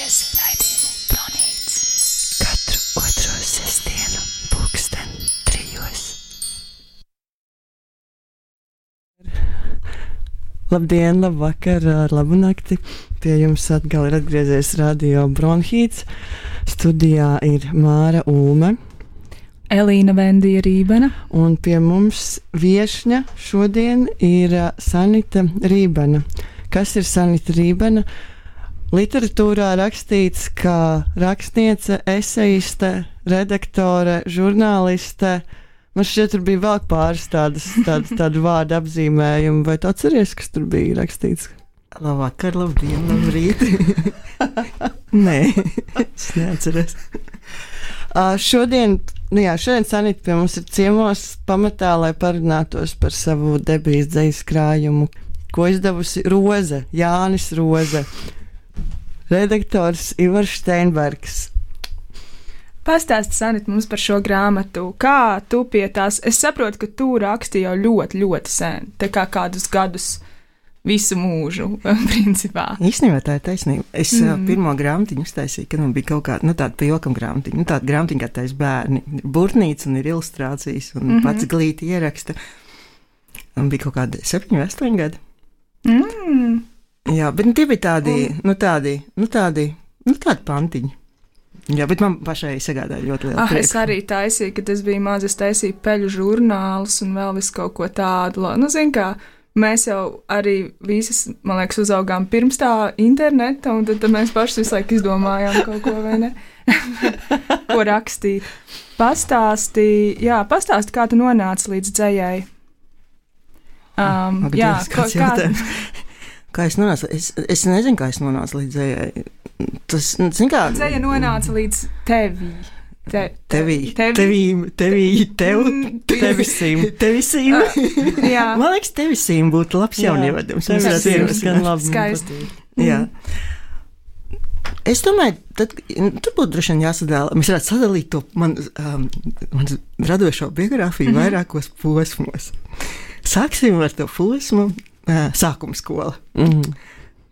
klausies raidījumu Bronīts. Katru otro sestdienu pulksten 3. Labdien, labvakar, labu nakti. Pie jums atkal ir atgriezies radio Bronhīts. Studijā ir Māra Ulme. Elīna Vendija Rībena. Un pie mums viešņa šodien ir Sanita Rībena. Kas ir Sanita Rībena? Literatūrā rakstīts, kā rakstniece, eseiste, redaktore, žurnāliste. Man šķiet, tur bija vēl pāris tādu vārdu apzīmējumu. Vai tu atceries, kas tur bija rakstīts? Labvakar, labdien, labrīt. Nē, es neatceros. Šodien Sanita pie mums ir ciemos pamatā, lai parunātos par savu debijas dzejas krājumu, ko izdevusi Roze, Jānis Roze, redaktors Ivars Steinbergs. Pastāsti, Sanita, mums par šo grāmatu. Kā tu pie tās? Es saprotu, ka tu raksti jau ļoti, ļoti sen, tā kā kādus gadus, visu mūžu, principā. Īstenībā tā ir taisnība. Es pirmo grāmatiņu uztaisīju, kad man bija kaut kāda, tāda pa jokam grāmatiņa, tāda grāmatiņa, kā taisa bērni. Burtnīca un ir ilustrācijas un pats glīti ieraksta. Un bija kaut kādi 7 vai 8 gadi. Jā, bet tie bija tādi pantiņi. Jā, bet man pašai sagādāja ļoti lielu prieku. Es arī taisīju, kad es biju maza, es taisīju peļu žurnālus un vēl visu kaut ko tādu. Nu, zin kā, mēs jau arī visas, man liekas, uzaugām pirms tā interneta, un tad mēs paši visu laiku izdomājām kaut ko, vai ne? Ko rakstīt. Pastāsti, kā tu nonāci līdz dzejai. Kā es nonācu? Es nezinu, kā es nonācu līdz dzejai. Tas, zin kā... Dzeja nonāca līdz tevi. Tevisīm. Jā. Man liekas, tevisīm būtu labs jaunievedums. Skaisti. Jā. Es domāju, tur būtu droši vien jāsadala. Mēs varētu sadalīt to man radošo biogrāfiju vairākos posmos. Sāksim ar to posmu sākuma skola.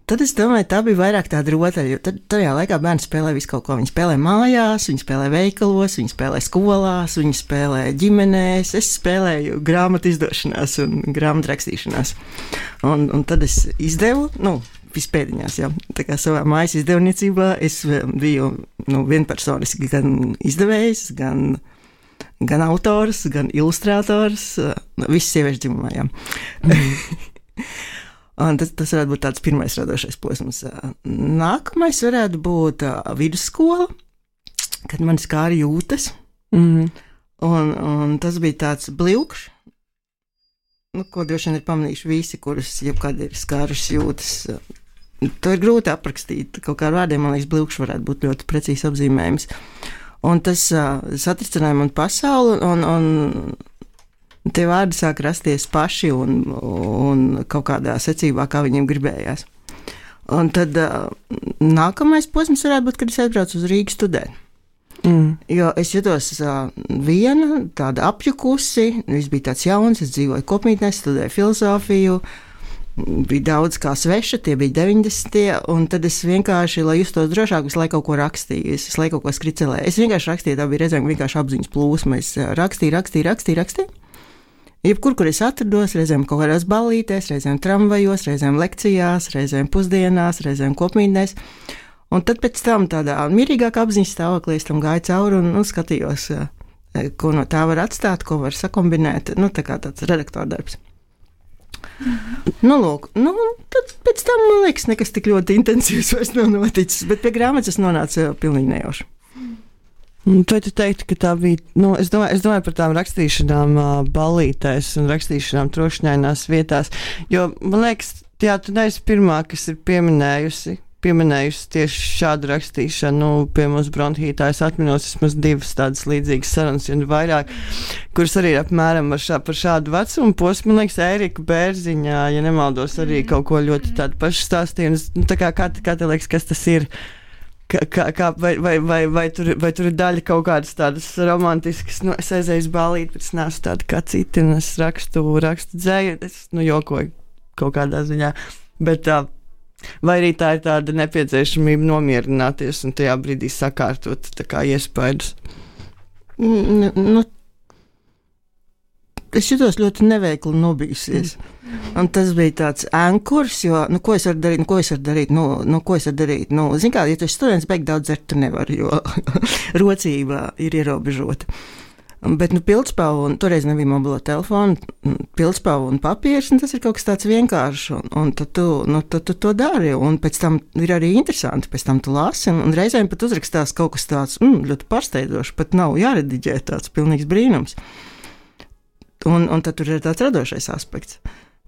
Tad es domāju, tā bija vairāk tāda rotaļa, jo tajā laikā bērni spēlē visu kaut ko. Viņi spēlē mājās, viņi spēlē veikalos, viņi spēlē skolās, viņi spēlē ģimenēs. Es spēlēju grāmatu izdošanās un grāmatu rakstīšanās. Un tad es izdevu, vispēdiņās, jā. Tā kā savā mājas izdevniecībā es biju vienpersoniski gan izdevējs, gan autors, gan ilustrators, viss sieviešu dzimumā, jā. Un tas varētu būt tāds pirmais radošais posms. Nākamais varētu būt vidusskola, kad man skāra jūtas. Un tas bija tāds blikšs, ko droši vien ir pamanījuši visi, kurus jebkad ir skārušas jūtas. To ir grūti aprakstīt. Kaut kā ar vārdiem, man liekas, blikšs varētu būt ļoti precīzi apzīmējums. Un tas satricināja man pasauli, un tie vārdi sāk rasties paši un kaut kādā secībā, kā viņiem gribējās. Un tad nākamais posms varētu būt, kad es aizbraucu uz Rīgu studēt. Jo es jutos viena, tāda apjukusi, viss bija tāds jauns, es dzīvoju kopmītnē, studēju filozofiju, bija daudz kā sveša, tie bija 90. Un tad es vienkārši, lai justos drošāk, visu laiku kaut ko rakstīju, es visu laiku kaut ko skricelēju. Es vienkārši rakstīju, tā bija reizēm vienkārši apziņas plūsma, es rakstīju. Jebkur, kur es atrados, reizēm kaut kādās ballītēs, reizēm tramvajos, reizēm lekcijās, reizēm pusdienās, reizēm kopmītnēs. Un tad pēc tam tādā mierīgākā apziņas stāvoklī es tam gāju cauri un skatījos, ko no tā var atstāt, ko var sakombinēt. Tā kā tāds redaktora darbs. Tad pēc tam, man liekas, nekas tik ļoti intensīvs vairs nav noticis, bet pie grāmatas es nonācu pilnīgi nejauši. Vai tu teiktu, ka tā bija, es domāju par tām rakstīšanām ballītēs un rakstīšanām trošņainās vietās, jo, man liekas, tu neesi pirmā, kas ir pieminējusi tieši šādu rakstīšanu. Pie mums Bronhītā es atminos vismaz 2 tādas līdzīgas sarunas, un vairāk, kuras arī ir apmēram par šādu vecumu posmu. Man liekas, Ērika Bērziņā, ja nemaldos, arī kaut ko ļoti tādu pašu stāstīju. Kā tev liekas, kas tas ir? Vai tur ir daļa kaut kādas tādas romantiskas, es aizēju uz ballīti, bet es neesmu tāda kā citi, un es rakstu dzēju, es jokoju kaut kādā ziņā, bet Vai arī tā ir tāda nepieciešamība nomierināties un tajā brīdī sakārtot tā kā iespaidus? Nu, es jutos ļoti neveikli nobijusies. Un tas bija tāds ankurs, jo, ko es varu darīt? Zin kā, ja tu esi students, beig daudz dzert tu nevari, jo rocība ir ierobežota. Bet, pildspalva, un toreiz nebija mobilo telefonu, pildspalva un papīrs, un tas ir kaut kas tāds vienkāršs, un tad tu to dari, un pēc tam ir arī interesanti, pēc tam tu lasi, un reizēm pat uzrakstās kaut kas tāds, ļoti pārsteidzošs, pat nav jārediģē, tāds pilnīgs brīnums. Un tad tur ir tāds radošais aspekts.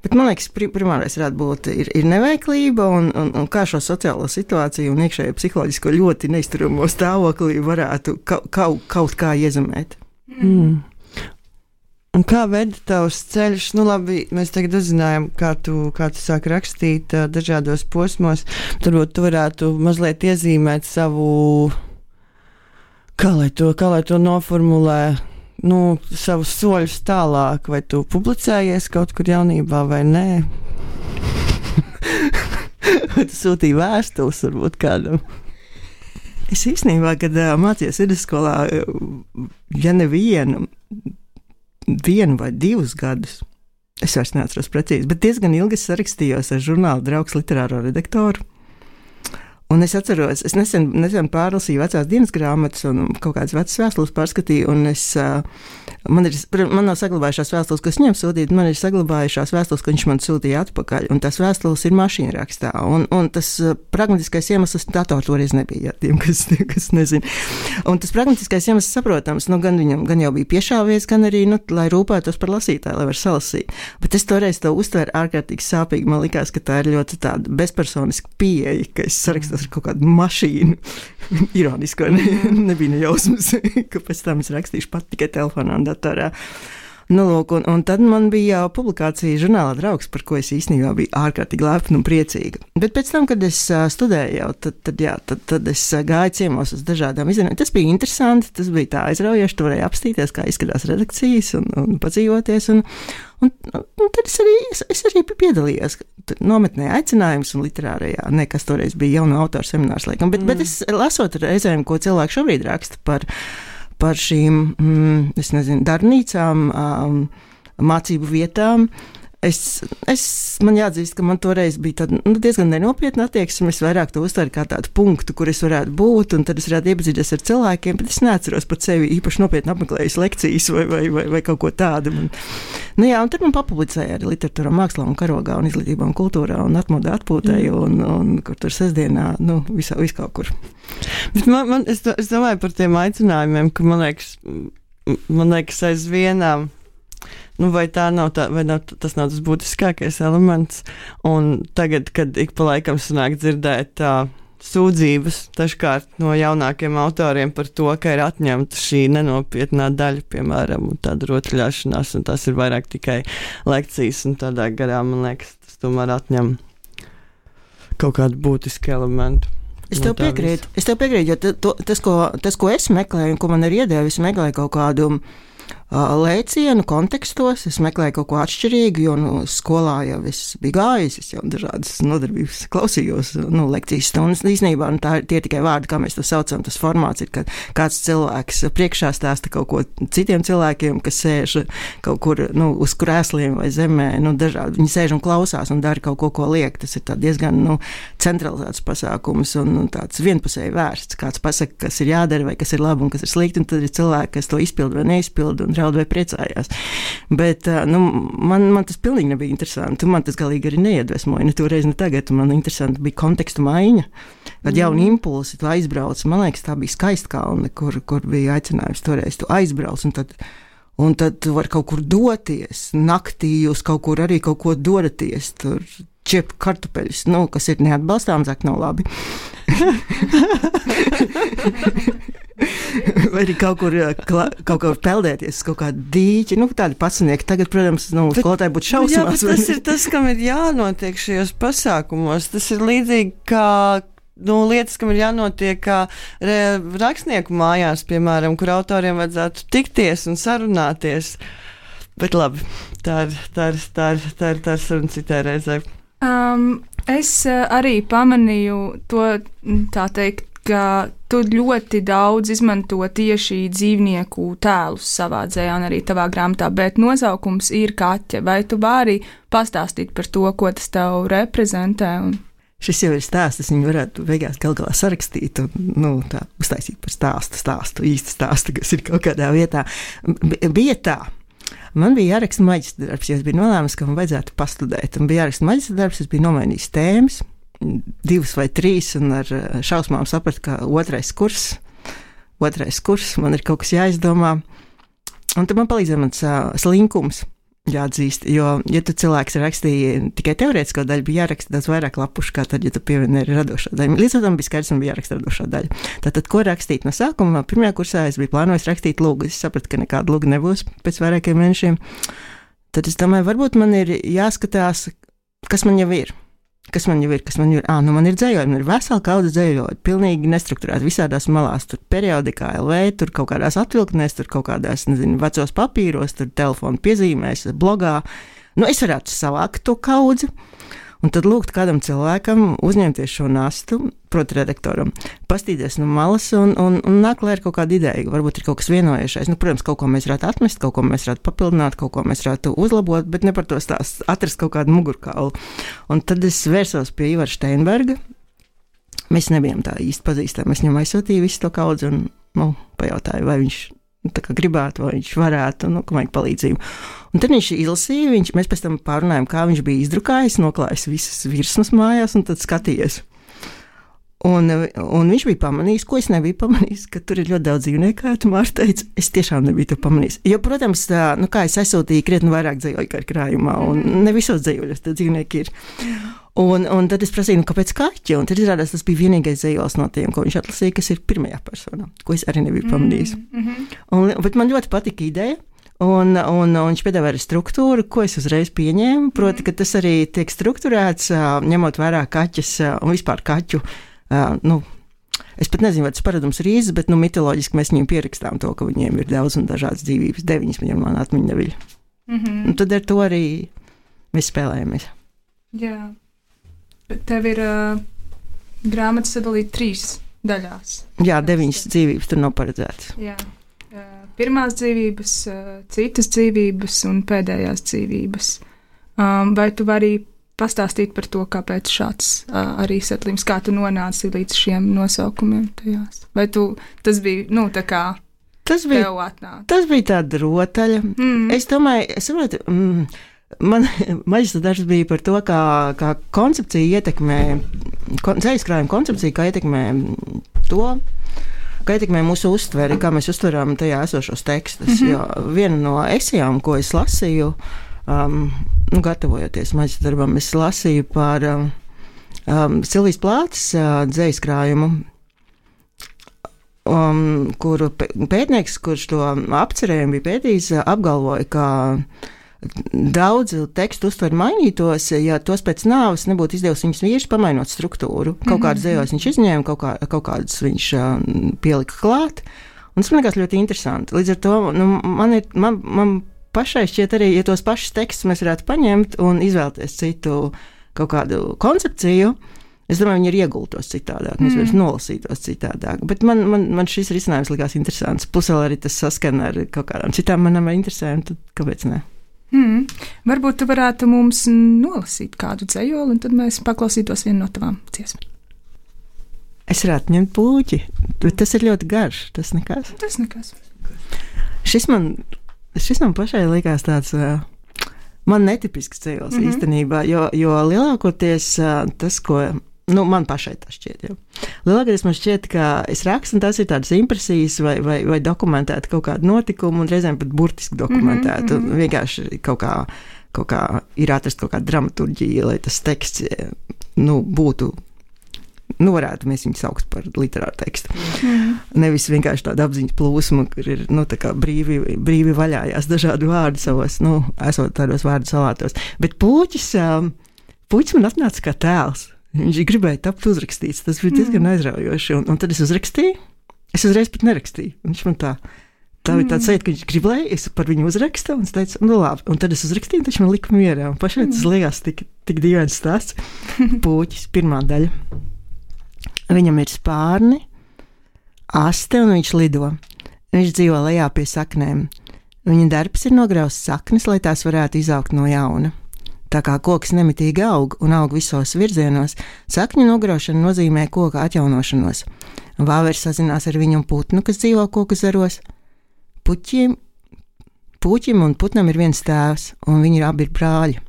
Bet man liekas, primārais varētu būt ir neveiklība un kā šo sociālo situāciju un iekšējo psiholoģisko ļoti neizturamo stāvoklī varētu kaut kā iezemēt. Un kā veda tavs ceļš? Labi, mēs tagad uzzinājām, kā tu sāki rakstīt dažādos posmos. Turbūt tu varētu mazliet iezīmēt savu, kā lai to noformulē, savus soļus tālāk, vai tu publicējies kaut kur jaunībā vai nē? Vai tu sūtīji vēstules varbūt kādam? Es īstenībā, kad mācījos vidusskolā, ja nevienu vai 2 gadus, es vairs neatceros precīzi, bet diezgan ilgi sarakstījos ar žurnāla Draugs literāro redaktoru. Un es atceros, es nesen pārlasīju vecās dienas grāmatas un kaut kādas vecas vēstules pārskatīju, un man nav saglabājušās vēstules, kas viņam sūtīja, man ir saglabājušās vēstules, ko viņš man sūtīja atpakaļ, un tās vēstules ir mašīna rakstā, un tas pragmatiskais iemesls, datoru toreiz nebija, tiem, kas nezina. Un tas pragmatiskais iemesls saprotams, gan viņam gan jau bija piešāvies, gan arī, lai rūpētos par lasītāju, lai var salasīt. Bet es toreiz to uztvēru ārkārtīgi sāpīgi, man likās, ka tā ir ļoti tāda bezpersoniska pieeja, ka es sarakstu ar kaut kādu mašīnu. Ironiski, nebija nejausmas, ka pēc tam es rakstīšu pat tikai telefonā un datorā. Un tad man bija jau publikācija žurnālā Draugs, par ko es īstenībā biju ārkārtīgi lepna un priecīga. Bet pēc tam, kad es studēju, tad es gāju ciemos uz dažādām izrādēm. Tas bija interesanti, tas bija tā aizraujoši, tu varēji apstīties, kā izskatās redakcijas un padzīvoties. Un tad es arī piedalījos nometnē aicinājums un literārajā, kas toreiz bija jaunu autoru seminārs, laikam. Bet es lasot reizēm, ko cilvēki šobrīd raksta par šīm, darbnīcām, mācību vietām. Man jāatzīst, ka man toreiz bija tāda diezgan nenopietna attieksme. Es vairāk to uztveru kā tādu punktu, kur es varētu būt, un tad es varētu iepazīties ar cilvēkiem, bet es neatceros par sevi īpaši nopietni apmeklējis lekcijas vai kaut ko tādu. Un tad man papublicēja arī literatūrā, mākslā un karogā un izglītībā un kultūrā un atmodā atpūtēju un kur tur sestdienā, vis kaut kur. Bet es domāju par tiem aicinājumiem, ka man liekas aizvienām. Vai tas nav tas būtiskākais elements? Un tagad, kad ik pa laikam sanāk dzirdēt sūdzības dažkārt no jaunākiem autoriem par to, ka ir atņemta šī nenopietnā daļa, piemēram, tāda rotaļāšanās, un tas ir vairāk tikai lekcijas, un tādā garā, man liekas, tas tomēr atņem kaut kādu būtisku elementu. Es tev piekrītu, jo tas, ko es meklēju un ko man ir iedevis, es meklēju kaut kādu lēcienu kontekstos, es meklēju kaut ko atšķirīgu, jo skolā jau es biju gājis, es jau dažādas nodarbības klausījos, lekcijas stundas īstenībā, un tie tikai vārdi, kā mēs to saucam, tas formāts ir, ka kāds cilvēks priekšā stāsta kaut ko citiem cilvēkiem, kas sēž kaut kur, uz krēsliem vai zemē, dažādi, viņi sēž un klausās un dara kaut ko liek, tas ir tā diezgan, centralizēts pasākums un tāds vienpusēji vērsts, kāds pasaka, kas ir jādara vai kas ir labi un kas ir slikti, un tad ir cilvēki, kas to izpilda vai neizpilda un draud vai priecājās. Bet man tas pilnīgi nebija interesanti. Man tas galīgi arī neiedvesmoja. Ne toreiz, ne tagad. Man interesanti bija kontekstu maiņa. Kad jauni impulsi, tu aizbrauc. Man liekas, tā bija Skaistkalne, kur bija aicinājums toreiz. Tu aizbrauc un tad tu vari kaut kur doties. Naktī jūs kaut kur arī kaut ko dodaties. Tur ķep kartupeļus, kas ir neatbalstām, zāk nav labi. Vai arī kaut kur peldēties, kaut kādu dīķi, tādi pasnieki. Tagad, protams, skolotāji būtu šausmās. Jā, tas ir tas, kam ir jānotiek šajos pasākumos. Tas ir līdzīgi kā lietas, kam ir jānotiek kā rakstnieku mājās, piemēram, kur autoriem vajadzētu tikties un sarunāties. Bet labi, tā ir saruna citai reizei. Es arī pamanīju to, tā teikt, ka tu ļoti daudz izmanto tieši dzīvnieku tēlus savā dzējā un arī tavā grāmatā, bet nosaukums ir kaķe. Vai tu vari pastāstīt par to, ko tas tev reprezentē? Šis jau ir stāsts, es viņu varētu beigās galu galā sarakstīt un tā, uztaisīt par stāstu, īstu stāstu, kas ir kaut kādā vietā. Bija tā. Man bija jāraksta maģistra darbs, jo es biju nolēmusi, ka man vajadzētu pastudēt. Un bija jāraksta maģistra darbs, es biju nomainījis tēmas, 2 vai 3, un ar šausmām sapratu, ka otrais kurs, man ir kaut kas jāizdomā. Un tad man palīdzēja mans slinkums. Jāatzīst, jo, ja tu cilvēks rakstīja tikai teorētisko daļu, bija jāraksta daudz vairāk lapušu, kā tad, ja tu pievieni radošā daļa. Līdz tam bija skaidrs, man bija jāraksta radošā daļa. Tātad, ko rakstīt no sākuma? Pirmajā kursā es biju plānojis rakstīt lūgu. Es sapratu, ka nekāda lūga nebūs pēc vairākiem mēnešiem. Tad es domāju, varbūt man ir jāskatās, kas man jau ir. Man ir dzējojumi, man ir vesela kaudze dzējoļi, pilnīgi nestrukturēti visādās malās, tur periodikā, LV, tur kaut kādās atvilknēs, tur kaut kādās, vecos papīros, tur telefonu piezīmēs, blogā. Es varētu savākt to kaudzi, un tad lūgt kādam cilvēkam uzņemties šo nastu, proti redaktoram, pastīties no malas un nāk klāt ar kaut kādu ideju. Varbūt ir kaut kas vienojušais. Protams, kaut ko mēs varētu atmest, kaut ko mēs varētu papildināt, kaut ko mēs varētu uzlabot, bet ne par to stāst, atrast kaut kādu mugurkaulu. Un tad es vērsos pie Ivara Steinberga. Mēs nebijām tā īsti pazīstami. Es viņam aizsūtīju visu to kaudzi un pajautāju, vai viņš gribētu, vai viņš varētu, ka vajag palīdzību. Un tad viņš izlasīja, mēs pēc tam pārunājām, kā viņš bija izdrukājis, noklājis visas virsmas mājās un tad skatījies. Un viņš bija pamanījis, ko es nebiju pamanījis, ka tur ir ļoti daudz dzīvnieku, kā tu Mārta teici, es tiešām nebiju to pamanījis. Jo, protams, kā es aizsūtīju krietni vairāk dzējoļu kā krājumā, un ne visos dzējoļos tie dzīvnieki ir. Un tad es prasīju, kāpēc kaķi, un tad izrādās, tas bija vienīgais dzējols no tiem, ko viņš atlasīja, kas ir pirmajā personā, ko es arī nebiju pamanījis. Bet man ļoti patika ideja. Un viņš piedāvā arī struktūru, ko es uzreiz pieņēmu, proti, ka tas arī tiek strukturēts, ņemot vērā kaķus un vispār kaķu. Es pat nezinu, vai tas paradums ir īsts, bet mitoloģiski mēs viņiem pierakstām to, ka viņiem ir daudz un dažādas dzīvības, 9 viņam man atmiņa neviļ. Un tad ar to arī mēs spēlējamies. Jā, bet tev ir grāmata sadalīta 3 daļās. Jā, 9 dzīvības tur nav paredzētas. Jā. Pirmās dzīvības, citas dzīvības un pēdējās dzīvības. Vai tu vari pastāstīt par to, kāpēc šāds arī setlījums, kā tu nonāci līdz šiem nosaukumiem tajās? Vai tas bija, tā kā tev atnāk? Tas bija tāda rotaļa. Es domāju, man maģistra darbs bija par to, kā koncepcija ietekmē, dzejaskrājuma koncepcija, kā ietekmē to, kā ietekmē mūsu uztveri, kā mēs uztveram tajā esošos tekstus. Jo viena no esejām, ko es lasīju, gatavojoties maģistra darbam, es lasīju par Silvijas Plātes dzejaskrājumu, kuru pētnieks, kurš to apcerējumu bija pētījis, apgalvoja, ka daudzi tekstu uztveri mainītos, ja tos pēc nāves nebūtu izdevusi viņas vīrs, pamainot struktūru. Kaut kādas dzējos viņš izņēma, kaut kādas viņš pielika klāt. Un tas man liekas ļoti interesanti. Līdz ar to man pašai šķiet arī, ja tos pašus tekstus mēs varētu paņemt un izvēlēties citu kaut kādu koncepciju, es domāju, viņi ir iegultos citādāk, mēs vairs nolasītos citādāk. Bet man šis risinājums likās interesants. Plus vēl arī tas saskan ar kaut kādām citām manām interesēm, tad kāpēc ne? Varbūt tu varētu mums nolasīt kādu dzejoli, un tad mēs paklausītos vienu no tavām dziesmām. Es varētu ņemt puķi, bet tas ir ļoti garš, tas nekas. Tas nekas. Šis man pašai likās tāds, man netipisks dzejols īstenībā, jo lielākoties tas, ko, man pašai tas šķiet, jau. Lielākoties man šķiet, ka es rakstu, un tās ir tādas impresijas vai dokumentēta kaut kāda notikuma, un reizēm pat burtiski dokumentēta, un vienkārši kaut kā ir atrast kaut kāda dramaturģija, lai tas teksts, būtu, varētu mēs viņu saukt par literāru tekstu. Nevis vienkārši tāda apziņas plūsma, kur ir, tā kā brīvi vaļājās dažādi vārdi savos, esot tādos vārdu salātos. Bet puķis man atnāca kā tēls. Viņš gribēja tapt uzrakstīts, tas bija diezgan aizraujoši, un tad es uzrakstīju, es uzreiz pat nerakstīju, viņš man tā Tā bija tāds sajūta, ka viņš grib, lai es par viņu uzrakstu, un es teicu, nu labi, un tad es uzrakstīju, taču man lika mierā, un pašai tas liekas tik dīvains stāsts. Pūķis, pirmā daļa. Viņam ir spārni, aste, un viņš lido. Viņš dzīvo lejā pie saknēm. Viņa darbs ir nograust saknes, lai tās varētu izaugt no jauna. Tā kā koks nemitīgi aug un aug visos virzienos, sakņu nograušana nozīmē koka atjaunošanos. Vāveris sazinās ar viņu un putnu, kas dzīvo koku zaros. Puķim un putnam ir viens tēvs, un viņi abi ir brāļi.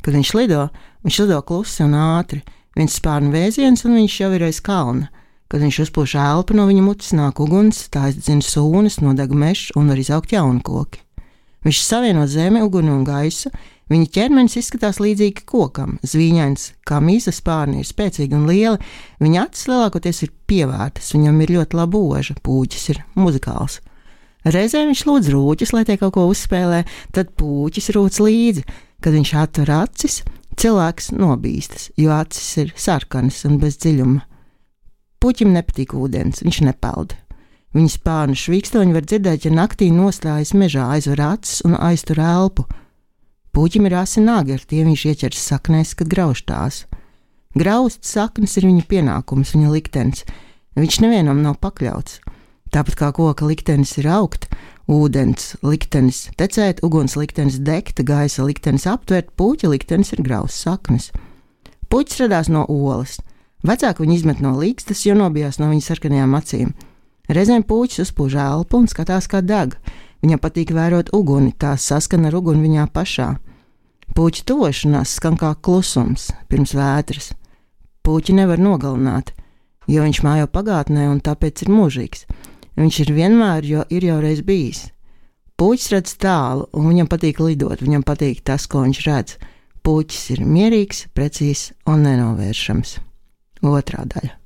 Kad viņš lido klusi un ātri. Viņš spārna vēziens, un viņš jau ir aiz kalna. Kad viņš uzpūš elpu, no viņa mutes nāk uguns, tā izdzina sūnas, nodeg mežs un var izaugt jauni koki. Viņš savieno zemi, uguni un gaisu. Viņa ķermenis izskatās līdzīgi kokam, zvīņains, kā mīza spārni ir spēcīgi un lieli. Viņa acis lielākoties ir pievērtas, viņam ir ļoti laba oža, pūķis ir muzikāls. Reizē viņš lūdz rūķus, lai tie kaut ko uzspēlē, tad pūķis rūc līdzi. Kad viņš atver acis, cilvēks nobīstas, jo acis ir sarkanas un bez dziļuma. Puķim nepatīk ūdens, viņš nepeld. Viņa spārnu švīkstoņi var dzirdēt, ja naktī nostājas mežā, aizver acis un aiztur elpu. Puķim ir asi nagi, ar tiem viņš ieķers saknēs, kad grauž tās. Grauzt saknes ir viņa pienākums, viņa liktenis. Viņš nevienam nav pakļauts. Tāpat kā koka liktenis ir augt, ūdens liktenis tecēt, uguns liktenis degt, gaisa liktenis aptvert, puķa liktenis ir grauzt saknes. Puķis radās no olas. Vecāki viņu izmet no līgstas, jo nobijās no viņa sarkanajām acīm. Reizēm pūķis uzpūž elpu un skatās, kā deg. Viņam patīk vērot uguni, tās saskan ar uguni viņā pašā. Pūķa tuvošanās skan kā klusums pirms vētras. Pūķi nevar nogalināt, jo viņš mājo pagātnē un tāpēc ir mūžīgs. Viņš ir vienmēr, jo ir jau reiz bijis. Pūķis redz tālu, un viņam patīk lidot, viņam patīk tas, ko viņš redz. Pūķis ir mierīgs, precīzs un nenovēršams. Otrā daļa.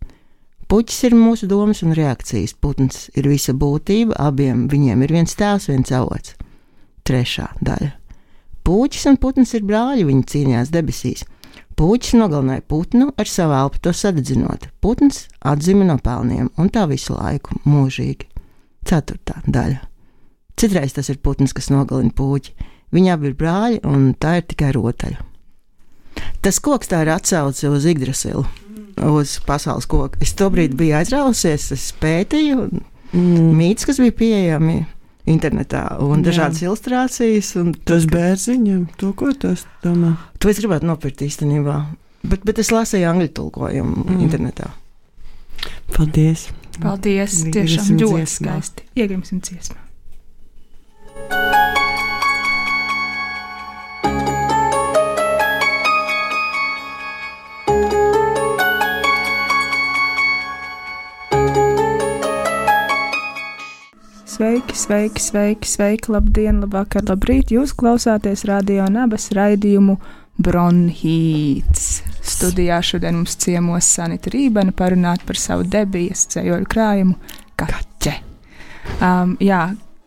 Puķis ir mūsu domas un reakcijas, putns ir visa būtība, abiem viņiem ir viens tēvs, viens avots. Trešā daļa. Puķis un putns ir brāļi, viņi cīnījās debesīs. Puķis nogalināja putnu ar savu elpu to sadedzinot. Putns atzima no pelniem, un tā visu laiku, mūžīgi. Ceturtā daļa. Citreiz tas ir putns, kas nogalina puķi. Viņi abi ir brāļi, un tā ir tikai rotaļa. Tas koks tā ir atsauce uz Yggdrasilu, uz pasaules koku. Es tobrīd biju aizrausies, es pētīju mītus, kas bija pieejami internetā, un dažādas ilustrācijas. Un tas bērziņam, to ko tas domā? To es gribētu nopirkt īstenībā, bet es lasīju angļu tulkojumu internetā. Paldies! Paldies! Tiešām ļoti skaisti. Iegrimsim dziesmā. Sveiki, sveiki, sveiki, sveiki, labdien, labvakar, labrīt! Jūs klausāties Radio Nabas raidījumu Bronhīts. Studijā šodien mums ciemos Sanita Rībena parunāt par savu debijas ceļoļu krājumu Kaķe.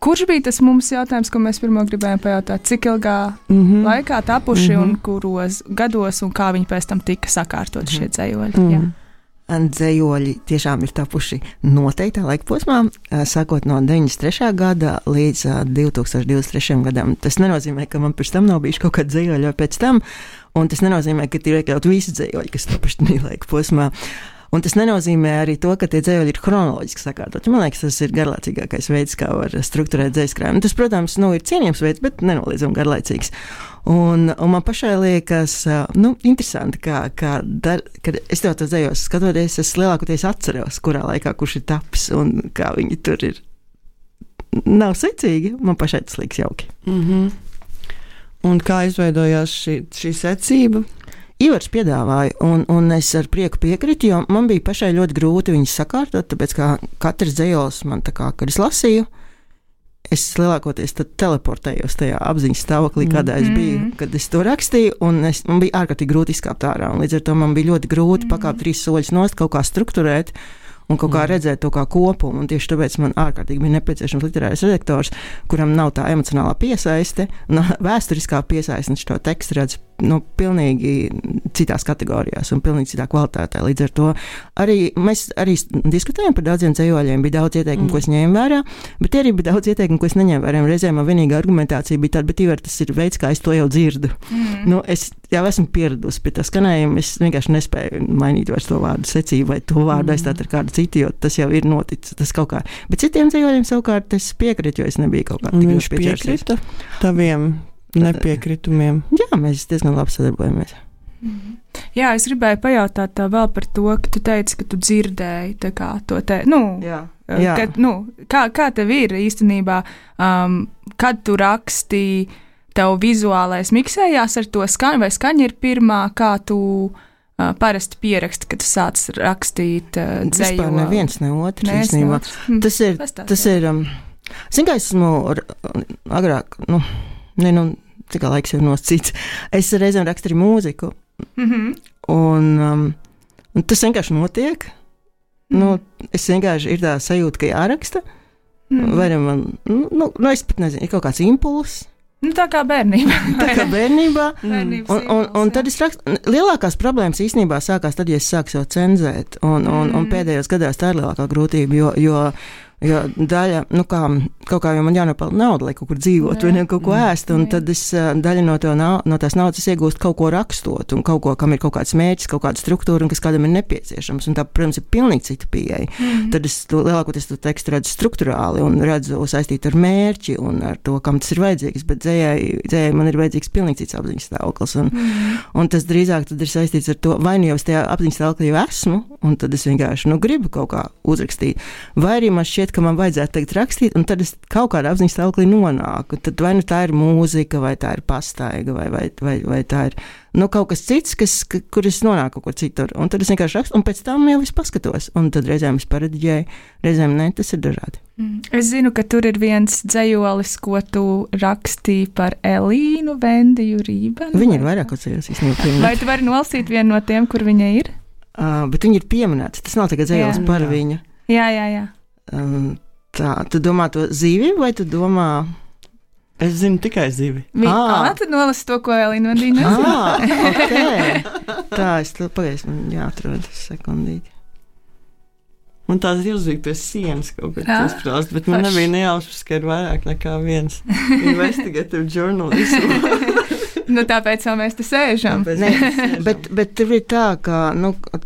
Kurš bija tas mums jautājums, ko mēs pirmo gribējām pajautāt? Cik ilgā laikā tapuši un kuros gados un kā viņi pēc tam tika sakārtot šie ceļoļi? Jā. Dzējoļi tiešām ir tapuši noteiktā laika posmā, sākot no 93. gada līdz 2023. gadam. Tas nenozīmē, ka man pēc tam nav bijuši kaut kādi dzējoļi vai pēc tam, un tas nenozīmē, ka ir iekļaut visi dzējoļi, kas tapuši tajā laika posmā. Un tas nenozīmē arī to, ka tie dzējoļi ir chronoloģiski sakārtoti. Man liekas, tas ir garlaicīgākais veids, kā var strukturēt dzējaskrājumu. Tas, protams, ir cienījams veids, bet nenoliedzami garlaicīgs. Un man pašai liekas, interesanti, kad es tev to dzējos skatoties, es lielākoties atceros, kurā laikā kurš ir tapis un kā viņi tur ir. Nav secīgi, man pašai tas liekas jauki. Un kā izveidojās šī secība? Ivars piedāvāja, un es ar prieku piekritu, jo man bija pašai ļoti grūti viņus sakārtot, tāpēc kā katrs dzējols man kad es lasīju, es lielākoties tad teleportējos tajā apziņas stāvoklī, kādā es biju, kad es to rakstīju, un man bija ārkārtīgi grūti izkāpt ārā, un līdz ar to man bija ļoti grūti pakāpt 3 soļus nost, kaut kā strukturēt, un kaut kā redzēt to kā kopumu, un tieši tāpēc man ārkārtīgi bija nepieciešams literārais redaktors, kuram nav tā emocionālā piesaiste, vēsturiskā piesaiste, un šo tekstu redz pilnīgi citās kategorijās un pilnīgi citā kvalitātē. Līdz ar to mēs arī diskutējām par daudziem dzējoļiem, bija daudz ieteikumu, ko es ņēmu vērā, bet arī bija daudz ieteikumu, ko es neņēmu vērā. Reizēm man vienīgā argumentācija bija tāda, bet Ivar, tas ir veids, kā es to jau dzirdu. Es jau esmu pieradusi pie tā skanējuma, es vienkārši nespēju mainīt vairs to vārdu secību vai to vārdu aizstāt ar kādu citu, jo tas jau ir noticis, tas kaut kā. Bet citiem dzējoļiem savukārt es piekrītu, jo es nebiju kaut kā tik Viņš piekrita taviem nepiekritumiem. Jā, mēs diezgan labi sadarbojamies. Jā, es gribēju pajautāt vēl par to, ka tu teici, ka tu dzirdēji tā kā to te, Jā. Kā tev ir īstenībā, kad tu rakstīji, tev vizuālais miksējās ar to skaņu, vai skaņa ir pirmā, kā tu parasti pieraksti, kad tu sāc rakstīt dzējoli? Vispār neviens, ne otrs īstenībā. Tas ir, zin kā esmu agrāk, cik kā laiks jau noscīts, es reizēm rakstu arī mūziku, un tas vienkārši notiek, es vienkārši ir tā sajūta, ka jāraksta, vai man, es pat nezinu, ir kaut kāds impulss. Tā kā bērnībā. Un tad es rakstu, lielākās problēmas īstenībā sākās tad, ja es sāku sev cenzēt, un pēdējos gadās tā ir lielākā grūtība, jo daļa, kaut kā jau man jānopelna nauda, lai kaut kur dzīvot, vai ne kaut ko ēst, un tad es daļa no tās naudas iegūstu kaut ko rakstot, un kaut ko, kam ir kaut kāds mērķis, kaut kāda struktūra, un kas kādam ir nepieciešams, un tā, protams, ir pilnīgi cita pieeja. Tad es lielākoties to tekstu redzu strukturāli, un redzu saistīt ar mērķi, un ar to, kam tas ir vajadzīgs, bet dzējai man ir vajadzīgs pilnīgi cits apziņas stāvoklis, un tas drīzāk tad ir saistīts ar to, vai jau es tajā apziņas stāvoklī jau esmu, un tad es vienkārši, gribu kaut kā uzrakstīt, vai arī man šķiet, ka man vajadzētu tagad rakstīt, un tad es kaut kādā apziņas stāvoklī nonāku. Tad vai tā ir mūzika, vai tā ir pastaiga, vai tā ir kaut kas cits, kur es nonāku kaut kur citur. Un tad es vienkārši rakstu, un pēc tam jau es paskatos. Un tad reizēm es parediģēju, reizēm ne, tas ir dažādi. Es zinu, ka tur ir viens dzējolis, ko tu rakstīji par Elīnu Vendiju Rībenu. Viņa ir vairāk dzējos īstenībā. Vai tu vari nolasīt vienu no tiem, kur viņa ir? Bet viņa ir pieminēta. Tas nav tikai dzējolis par viņu. Jā. Tā, tu domā to zīvi, vai tu domā? Es zinu tikai zīvi. Tad nolasi to, ko Elīna Vendija nezina. Okay. Tā, es to pagaidu, man jāatrod sekundīti. Man tās ir uzvīktas sienas kaut kur izprāst, bet man nebija nejausmas, ka ir vairāk nekā viens investigative journalism. Tāpēc vēl mēs te sēžam. Bet tur ir tā, ka,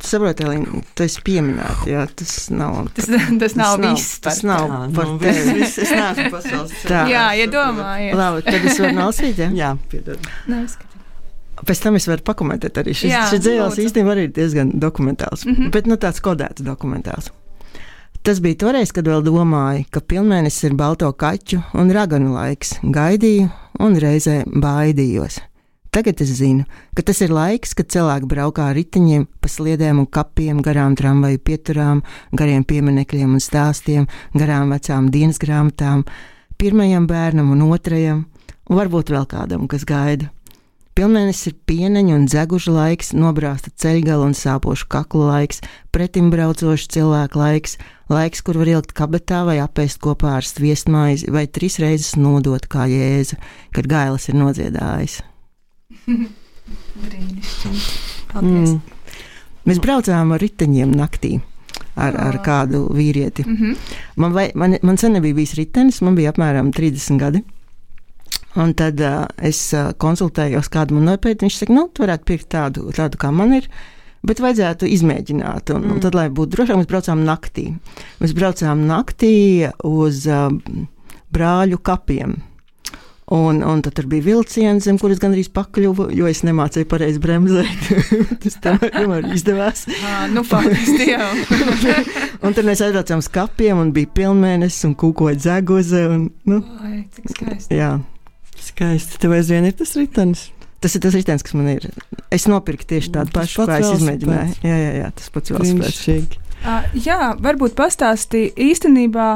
saproti, Elīna, tu esi pieminēta, jā, tas nav. Tas nav viss. Tas nav par tevi. Es neesmu pasaules. Jā, iedomājies. Labi, tad es varu nolasīt, jā? Jā, piedod. Pēc tam es varu pakomentēt arī. Šis dzējols īstenībā arī ir diezgan dokumentāls, bet tāds kodēts dokumentāls. Tas bija toreiz, kad vēl domāju, ka pilnmēnesis ir balto kaķu un raganu laiks. Gaidīju un reizē baidījos. Tagad es zinu, ka tas ir laiks, kad cilvēki braukā ar riteņiem pa sliedēm un kapiem, garām tramvaju pieturām, gariem pieminekļiem un stāstiem, garām vecām dienas grāmatām, pirmajam bērnam un otrajam, un varbūt vēl kādam, kas gaida. Pilnmēnesis ir pieneņu un dzegužu laiks, nobrāsta ceļgala un sāpošu kaklu laiks, pretimbraucošu cilvēku laiks, kur var ielikt kabetā vai apēst kopā ar sviestmaizi vai 3 reizes nodot kā Jēzu, kad gailis ir nodziedājis. Brīnišķīgi. Paldies. Mēs braucām ar riteņiem naktī ar kādu vīrieti. Man sen nebija bijis ritenis, man bija apmēram 30 gadi. Un tad es konsultējos kādu man nopēt, viņš saka, tu varētu pirkt tādu kā man ir, bet vajadzētu izmēģināt. Un tad, lai būtu drošāk, mēs braucām naktī. Mēs braucām naktī uz Brāļu kapiem. Un tad tur bija vilciens, zem kuras gandrīz pakļuvu, jo es nemācēju pareizi bremzēt. Tas tomēr izdevās. Faktiski jau. Un tad mēs aizbraucām uz kapiem un bija pilnmēnesis un kūkoja dzeguze. Ai, cik skaisti. Jā. Skaisti. Tev aizvien ir tas ritenis? Tas ir tas ritenis, kas man ir. Es nopirku tieši tādu pašu, kā es izmēģināju. Jā, tas pats velosipēds. Jā, varbūt pastāstīja īstenībā,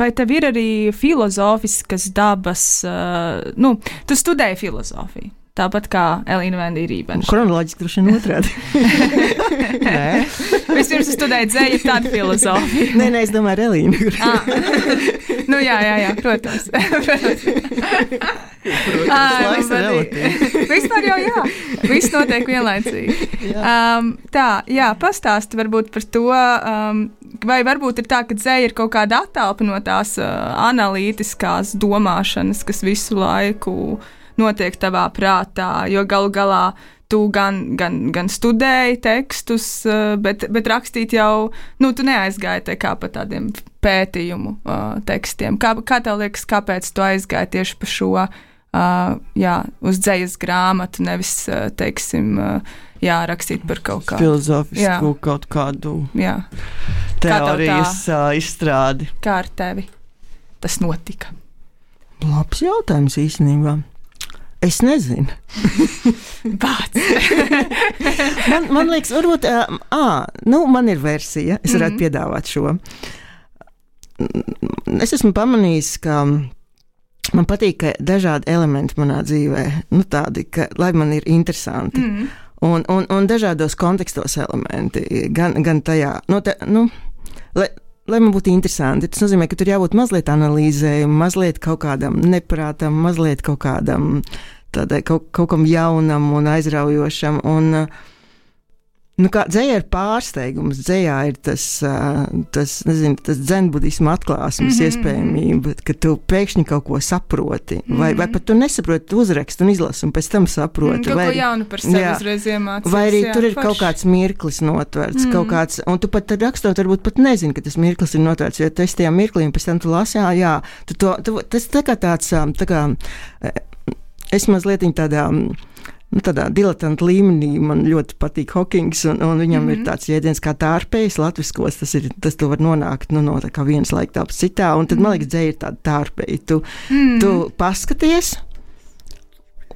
vai tev ir arī filozofiskas dabas, tu studēji filozofiju, tāpat kā Elīna Vendija Rībena. Kronoloģiski droši vien otrādi. Nē. Vispirms studēju dzēju, tad filozofiju. Nē, es domāju, Elīna. Nu, jā, protams. Vispār jau jā. Viss notiek vienlaicīgi. Pastāsti varbūt par to, vai varbūt ir tā, ka dzēja ir kaut kāda attālpa no tās analītiskās domāšanas, kas visu laiku notiek tavā prātā, jo galu galā tu gan studēji tekstus, bet rakstīt jau, tu neaizgāji te kā pa tādiem pētījumu tekstiem. Kā tev liekas, kāpēc tu aizgāji tieši pa šo, uz dzējas grāmatu, nevis, teiksim, rakstīt par kaut kādu filozofisku, kaut kādu teorijas izstrādi? Kā ar tevi tas notika? Labs jautājums īstenībā. Es nezinu. man liekas, varbūt, man ir versija, es varētu piedāvāt šo. Es esmu pamanījis, ka man patīk, ka dažādi elementi manā dzīvē, tādi, lai man ir interesanti. Un dažādos kontekstos elementi, gan tajā, lai man būtu interesanti. Tas nozīmē, ka tur jābūt mazliet analīzēm, mazliet kaut kādam neprātam, mazliet kaut kādam kaut kam jaunam un aizraujošam. Un, kā dzējā ir pārsteigums, dzējā ir tas dzenbudisma atklāsmes iespējamība, ka tu pēkšņi kaut ko saproti, vai pat tu nesaproti, tu uzraksti un izlasi, un pēc tam saproti. Kaut ko jaunu par sevi uzreiz iemācies. Vai arī tur ir kaut kāds mirklis notverts, kaut kāds, un tu pat rakstot, varbūt pat nezini, ka tas mirklis ir notverts, jo tu esi tajā mirklī, un pēc tam tu lasi, tas tā kā tāds, es mazliet tādā diletantu līmenī man ļoti patīk Hokings, un viņam ir tāds jēdziens kā tārpējs latviskos, tas tu var nonākt no tā kā vienas laika tāps citā, un tad man liekas, dzēja ir tāda tārpēja. Tu paskaties,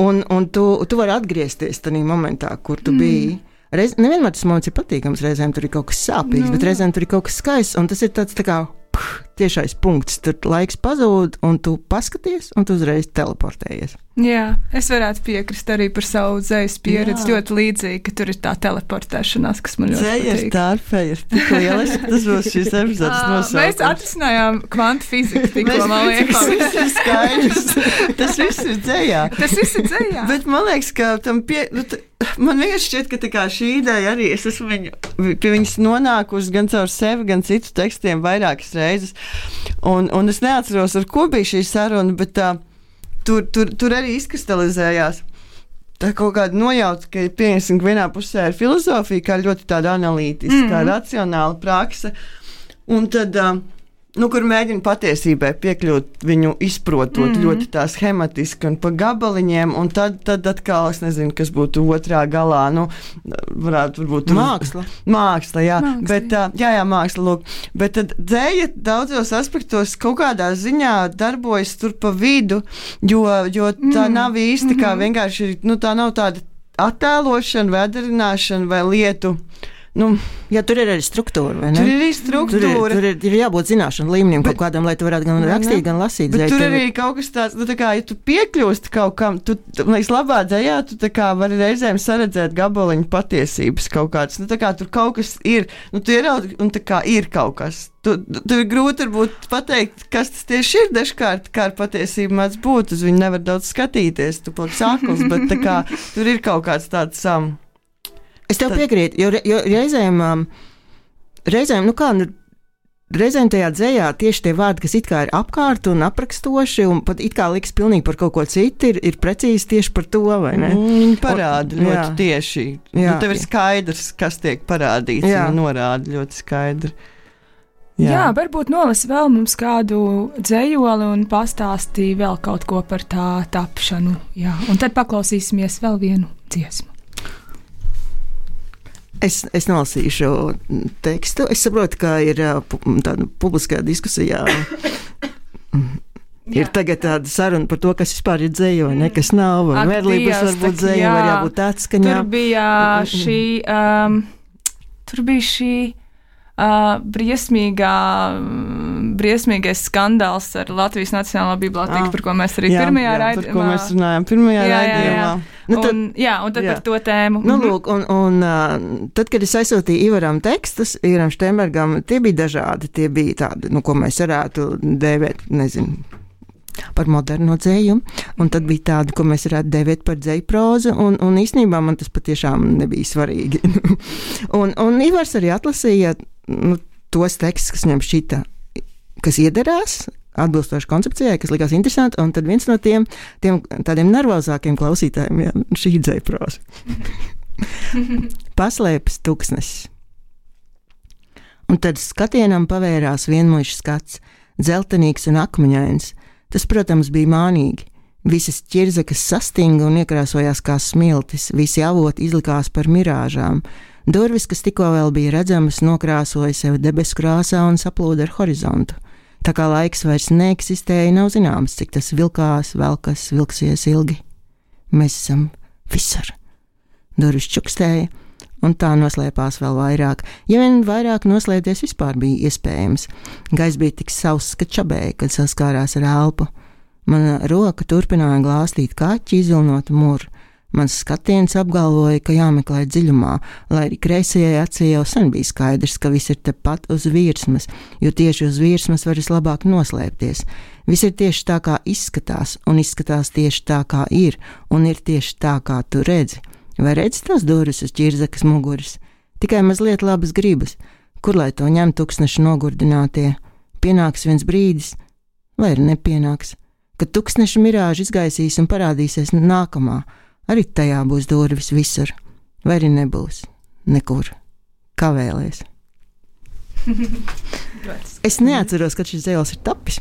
un tu vari atgriezties tajā momentā, kur tu biji. Nevienmēr tas moments ir patīkams, reizēm tur ir kaut kas sāpīgs, bet reizēm tur ir kaut kas skaists, un tas ir tāds tā kā tiešais punkts, tur laiks pazūd, un tu paskaties, un tu uzreiz teleportējies. Jā, es varētu piekrist arī par savu dzējas pieredzi, ļoti līdzīgi, ka tur ir tā teleportēšanās, kas man ļoti patīk. Dzēja ir tārpēja, ir tik lieliski, tas būs šīs epizodes nosaukums. Mēs atrisinājām kvantu fiziku tikko, man liekas. Viss ir skaidrs. Tas viss ir dzējā. Tas viss ir dzējā. Bet man liekas, ka tam man vienkārši šķiet, ka tā kā šī ideja arī, es esmu pie viņas nonākusi gan caur sevi, gan citu tekstiem vairākas reizes. Un es neatceros, ar ko bija šī saruna, bet tur arī izkristalizējās tā kaut kāda nojauta, ka pieņemsim, ka vienā pusē ir filozofija, kā ļoti tāda analītiska, racionāla prakse, un tad, kur mēģina patiesībai piekļūt viņu izprotot ļoti tā schematiski un pa gabaliņiem, un tad atkal, es nezinu, kas būtu otrā galā, varbūt Māksla. Māksla, jā. Bet, māksla, lūk. Bet tad dzēja daudzos aspektos kaut kādā ziņā darbojas tur pa vidu, jo tā nav īsti kā vienkārši, tā nav tāda attēlošana vai atdarināšana vai lietu. Jā, tur ir arī struktūra, vai ne? Tur ir arī struktūra. Tur ir jābūt zināšanu līmenim kaut kādam, lai tu varētu gan rakstīt, gan lasīt. Bet tur arī kaut kas tāds, ja tu piekļūsti kaut kam, man liekas, labā dzējā, tu tā kā vari reizēm saredzēt gabaliņu patiesības kaut kāds. Tur kaut kas ir, tu ieraudzi, un tā kā ir kaut kas. Tur ir grūti varbūt pateikt, kas tas tieši ir dažkārt, kā ar patiesību mēdz būt. Uz viņu nevar daudz skatīties, tu paliksi akls, bet tā kā tur ir kaut kāds tāds Es tev piekrītu, jo reizēm tajā dzējā tieši tie vārdi, kas it kā ir apkārt un aprakstoši un pat it kā liks pilnīgi par kaut ko citu, ir precīzi tieši par to, vai ne? Viņi parāda ļoti tieši. Tev ir skaidrs, kas tiek parādīts, un norāda ļoti skaidri. Jā, varbūt nolasi vēl mums kādu dzējoli un pastāstīja vēl kaut ko par tā tapšanu. Jā, un tad paklausīsimies vēl vienu dziesmu. Es nolasīšu tekstu. Es saprotu, ka ir tāda publiskā diskusijā. Ir tagad tāda saruna par to, kas vispār ir dzēja, vai ne, kas nav, vai verlības varbūt dzēja, var jābūt atskaņā. Tur bija šī briesmīgais skandāls ar Latvijas Nacionālo bibliotēku, par ko mēs arī pirmajā raidījumā. Par ko mēs runājām pirmajā raidījumā. Un tad par to tēmu. Nu, lūk, un tad, kad es aizsūtīju Ivaram tekstus, Ivaram Štembergam, tie bija dažādi. Tie bija tādi, ko mēs varētu dēvēt, nezinu, par moderno dzēju, un tad bija tādi, ko mēs varētu dēvēt par dzēju prózu, un īstenībā man tas patiešām nebija svarīgi. un Ivars arī atlasīja tos tekstus, kas viņam šķita, kas iederās, atbilstoši koncepcijai, kas likās interesanti, un tad viens no tiem tādiem nervozākiem klausītājiem, šī dzēja próza. Paslēpes tuksnesis. Un tad skatienam pavērās vienmuļš skats, dzeltenīgs un akmeņains. Tas, protams, bija mānīgi. Visas ķirzakas sastinga un iekrāsojās kā smiltis, visi avoti izlikās par mirāžām. Durvis, kas tikko vēl bija redzamas, nokrāsoja sevi debesu krāsā un saplūda ar horizontu. Tā kā laiks vairs neeksistēja, nav zināms, cik tas vilksies ilgi. Mēs esam visur. Durvis čukstēja, un tā noslēpās vēl vairāk. Ja vien vairāk noslēpties vispār bija iespējams. Gaiss bija tik sauss, ka čabēja, kad saskārās ar elpu. Mana roka turpināja glāstīt kaķi, izvilnot muru. Mans skatiens apgalvoja, ka jāmeklē dziļumā, lai arī kreisajai acī jau sen bija skaidrs, ka viss ir tepat uz virsmas, jo tieši uz virsmas var vislabāk noslēpties. Viss ir tieši tā, kā izskatās, un izskatās tieši tā, kā ir, un ir tieši tā, kā tu redzi. Vai redzi tās durvis uz ķirzakas muguras? Tikai mazliet labas gribas. Kur lai to ņem tuksneša nogurdinātie? Pienāks viens brīdis, vai arī nepienāks, kad tuksneša mirāža izgaisīs un parādīsies nākamā. Arī tajā būs durvis visur, vai arī nebūs nekur. Kā vēlies? Es neatceros, kad šis dzejals ir tapis,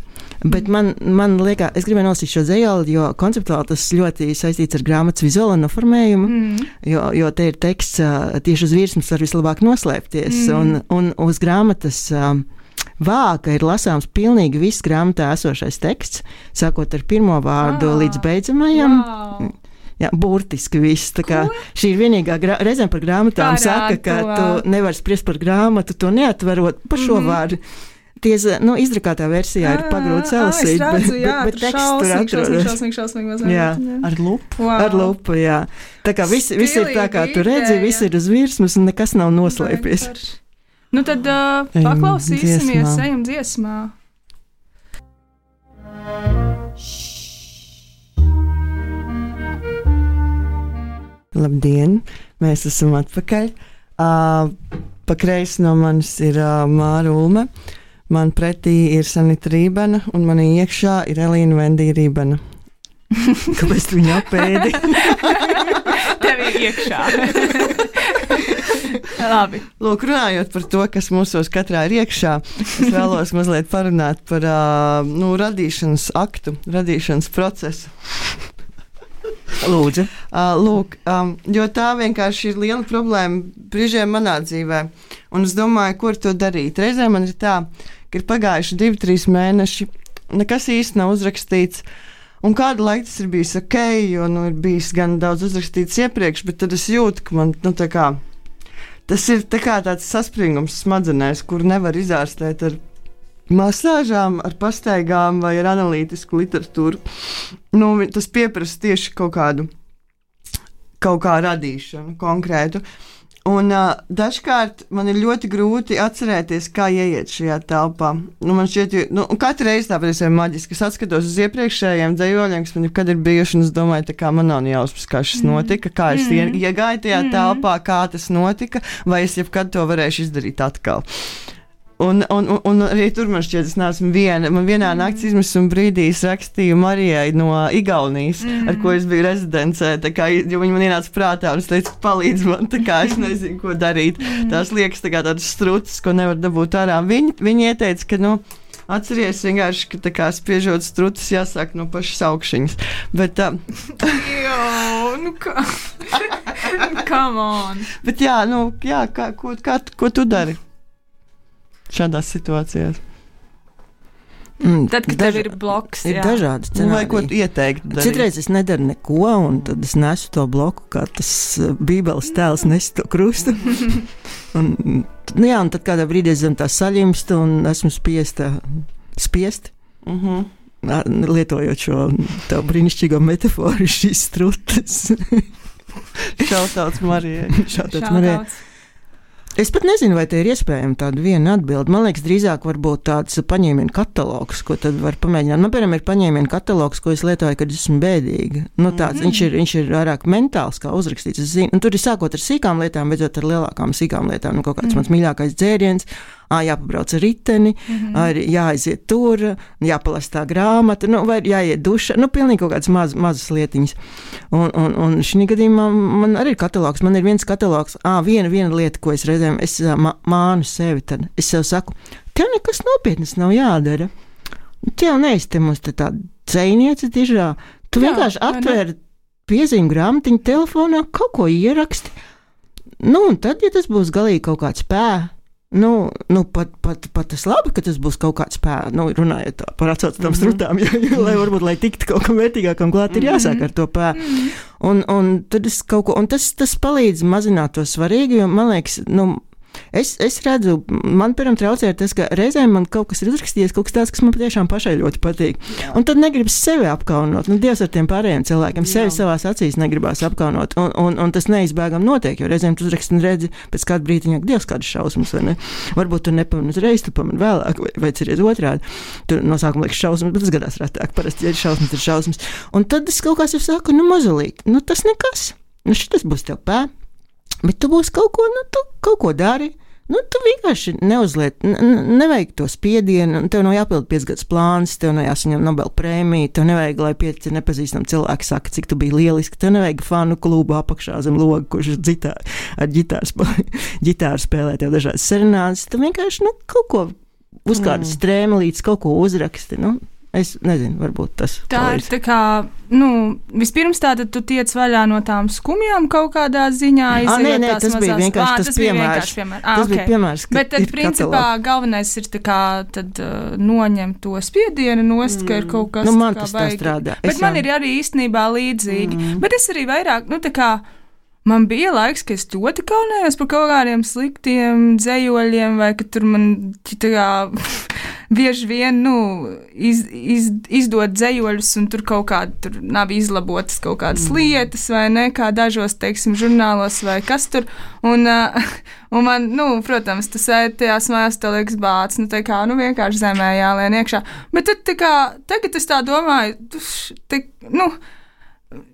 bet man liekas, es gribēju nolasīt šo dzejali, jo konceptuāli tas ļoti saistīts ar grāmatas vizuālo noformējumu, jo te ir teksts tieši uz virsmas var vislabāk noslēpties, un uz grāmatas vāka ir lasāms pilnīgi viss grāmatā esošais teksts, sākot ar pirmo vārdu līdz beidzamajam. Wow. Jā, burtiski viss. Tā kā šī ir vienīgā reizēm par grāmatām saka, ka tu nevari spriest par grāmatu, to neatverot par šo vārdu. Izdrukātā versijā ir pagrūti salasīt, bet teksts tur atrodas. Jā, ar lupu. Wow. Ar lupu, jā. Tā kā viss ir tā, kā tu redzi, viss ir uz virsmas un nekas nav noslēpies. Nu tad paklausīsimies, ejam dziesmā. Labdien, mēs esam atpakaļ. Pa kreisi no manis ir Māra Ulme, man pretī ir Sanita Rībena un manī iekšā ir Elīna Vendija Rībena. Kāpēc tu viņu apēdi? Tev ir iekšā. Labi. Lūk, runājot par to, kas mūsos katrā ir iekšā, es vēlos mazliet parunāt par radīšanas aktu, radīšanas procesu. Lūdzu. Jo tā vienkārši ir liela problēma brīžiem manā dzīvē. Un es domāju, kur to darīt. Reizē man ir tā, ka ir pagājuši 2-3 mēneši, nekas īsti nav uzrakstīts. Un kādu laiku tas ir bijis ok, jo ir bijis gan daudz uzrakstīts iepriekš, bet tad es jūtu, ka man tas ir tāds saspringums smadzenēs, kur nevar izārstēt ar masāžām, ar pastaigām vai ar analītisku literatūru. Tas pieprasa tieši kaut kā radīšanu konkrētu. Un dažkārt man ir ļoti grūti atcerēties, kā ieiet šajā telpā. Man šķiet, katru reizi tāpēc ir maģiski. Es atskatos uz iepriekšējiem dzejoļiem, kas man jebkad ir bijuši, un es domāju, kā man nav jāuzprast, kā šis notika, kā es iegāju tajā telpā, kā tas notika, vai es jebkad to varēšu izdarīt atkal. Un arī tur man šķiet, es neesmu viena. Man vienā nakts izmisuma brīdī es rakstīju Marijai no Igaunijas, ar ko es biju rezidencē, jo viņa man ienāca prātā un es teicu, palīdz man, es nezinu, ko darīt. Tās liekas tādas struces, ko nevar dabūt ārā. Viņa ieteica, ka, atceries vienkārši, ka spiežot struces jāsāk no pašas augšņas. Bet come on. Bet ko tu dari šādās situācijās? Tad, kad tev ir bloks, ir dažādi scenāriji. Vai ko tu ieteiktu darīt? Citreiz es nedaru neko, un tad es nesu to bloku, kā tas bībeles tēls nes to krustu. un tad kādā brīdī es zem tā saļimstu, un esmu spiest. lietojot šo tavu brīnišķīgo metaforu, šīs strutas. Šautauts Marijai. Šautauts Marijai. Es pat nezinu, vai te ir iespējama tāda viena atbilde. Man liekas, drīzāk varbūt tāds paņēmienu katalogs, ko tad var pamēģināt. Man, piemēram, ir paņēmienu katalogs, ko es lietoju, kad esmu bēdīga. Nu, tāds, viņš ir vairāk mentāls, kā uzrakstīts. Es zinu, un tur ir sākot ar sīkām lietām, beidzot ar lielākām sīkām lietām. Nu, kaut kāds mans mīļākais dzēriens. Jāpabrauc ar riteni, jāaiziet tur, jāpalasa tā grāmata, vai jāiet dušā. Pilnīgi kaut kādas mazas lietiņas. Un šī gadījumā man arī ir katalogs. Man ir viens katalogs, viena lieta, ko es reizēm mānu sevi. Tad es sev saku, tev nekas nopietnas nav jādara. Tev neizte mums te tāda dzejniece dižā. Tu vienkārši atvēri piezīmu grāmatiņu telefonā, kaut ko ieraksti. Un tad, ja tas būs galīgi kaut kāds pat tas labi, ka tas būs kaut kāds runājot par atsaucamām strutām, lai tiktu kaut kam vērtīgākam klāt, ir jāsāk ar to un tad es kaut ko, un tas palīdz mazināt to svarīgu, jo man liekas, es redzu, man piemēram traucē tas, ka reizēm man kaut kas ir uzrakstījies, kaut kas tāds, kas man patiešām pašai ļoti patīk. Un tad negribas sevi apkaunot. Dievs ar tiem pārējiem cilvēkiem sevi savās acīs negribās apkaunot. Un tas neizbēgam notiek, jo reizēm tu uzraksti un redzi pēc kāda brītiņa, Dievs, kādas šausmas, vai ne? Varbūt tu nepamani uzreiz, tu pamani vēlāk, vai ceries otrādi. Tur no sākuma liekas šausmas, bet tas gadās retāk. Parasti, ja ir šausmas. Un tad es kaut kā sev saku, mazulīt, tas nekas. Šitas būs tev bet tu būsi kaut ko, tu kaut ko dari. Tu vienkārši neuzliet, nevajag to spiedienu, tev nav jāpild 5 gadus plāns, tev nav jāsaņem Nobel prēmiju, tev nevajag, lai 5 nepazīstami cilvēki saka, cik tu biji lieliski, tev nevajag fanu klubu apakšā zem loga, kurš ar ģitāru spēlē tev dažādas serenādes, tu vienkārši, kaut ko uz kādas strēmelītes, kaut ko uzraksti, Es nezinu, varbūt tas ir tā kā, vispirms tātad tu tiec vaļā no tām skumjām kaut kādā ziņā. Nē, tas bija vienkārši tas piemērs. Tas bija piemērs, bet tad, principā, galvenais ir tā kā tad noņemt to spiedienu nost, ka ir kaut kas man tas tā strādā. Bet man ir arī īstenībā līdzīgi. Bet es arī vairāk, tā kā, man bija laiks, ka es ļoti kaunējos par kaut kādiem sliktiem dzejoļiem, vai ka tur man tā kā bieži vien, izdod dzejoļus, un tur kaut kādi, tur nav izlabotas kaut kādas lietas, vai ne, kā dažos, teiksim, žurnālos, vai kas tur, un man, protams, tu sēdi tajās mājās, tev liekas bāc, tā kā, vienkārši zemē jālien iekšā, bet tad, tā kā, tagad es tā domāju,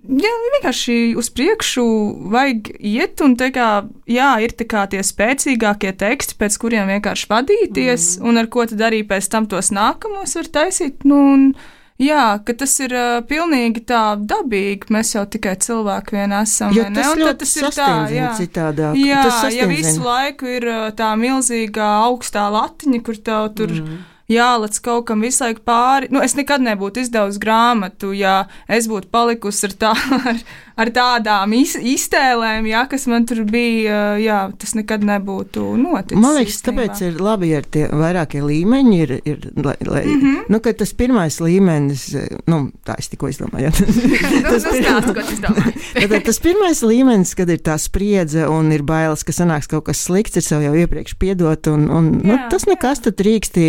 vienkārši uz priekšu vajag iet, un ir tie spēcīgākie teksti, pēc kuriem vienkārši vadīties, un ar ko tad arī pēc tam tos nākamos var taisīt, ka tas ir pilnīgi tā dabīgi, mēs jau tikai cilvēki vien esam, jo tas un ļoti tas ir tā, citādāk. Ja visu laiku ir tā milzīgā augstā latiņa, kur tev tur jālec kaut kam visu laiku pāri. Es nekad nebūtu izdevusi grāmatu, ja es būtu palikusi ar tādām iztēlēm, kas man tur bija, tas nekad nebūtu noticis. Man liekas, tāpēc ir labi, ja tie vairākie līmeņi ir ka tas pirmais līmenis, tā es tikko izdomāju. Tas pirmais līmenis, kad ir tā spriedze un ir bailes, ka sanāks kaut kas slikts, ir sev jau iepriekš piedot, un tas nekas tad drīkst,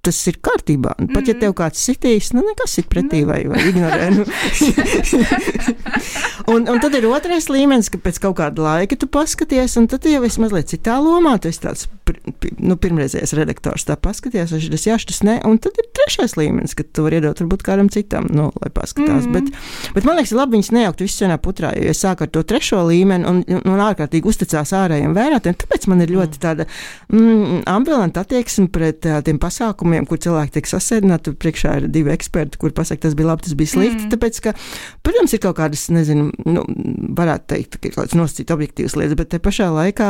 tas ir kārtībā. Pat ja tev kāds sitīs, nekas sit pretī vai ignorē. Un tad ir otrais līmenis, ka pēc kaut kāda laika tu paskaties, un tad jau esi mazliet citā lomā, tu esi tāds pirmreizējais redaktors, tā paskaties, šitas ne, un tad ir trešais līmenis, kad tu vari iedot varbūt kādam citam, lai paskatās. Bet man liekas, labi viņas nejaukt visu vienā putrā, jo es sāku ar to trešo līmeni un ārkārtīgi uzticās ārējiem vērotiem, tāpēc man ir ļoti tāda ambivalenta attieksme pret tiem pasākumiem, kur cilvēki tiek sasēdināti, priekšā ir 2 eksperti, kur pasaka, tas bija labi, tas bija slikti, tāpēc, ka, protams, ir kaut kādas, nezinu, varētu teikt, ka ir kaut kādas nosacīt objektīvas lietas, bet te pašā laikā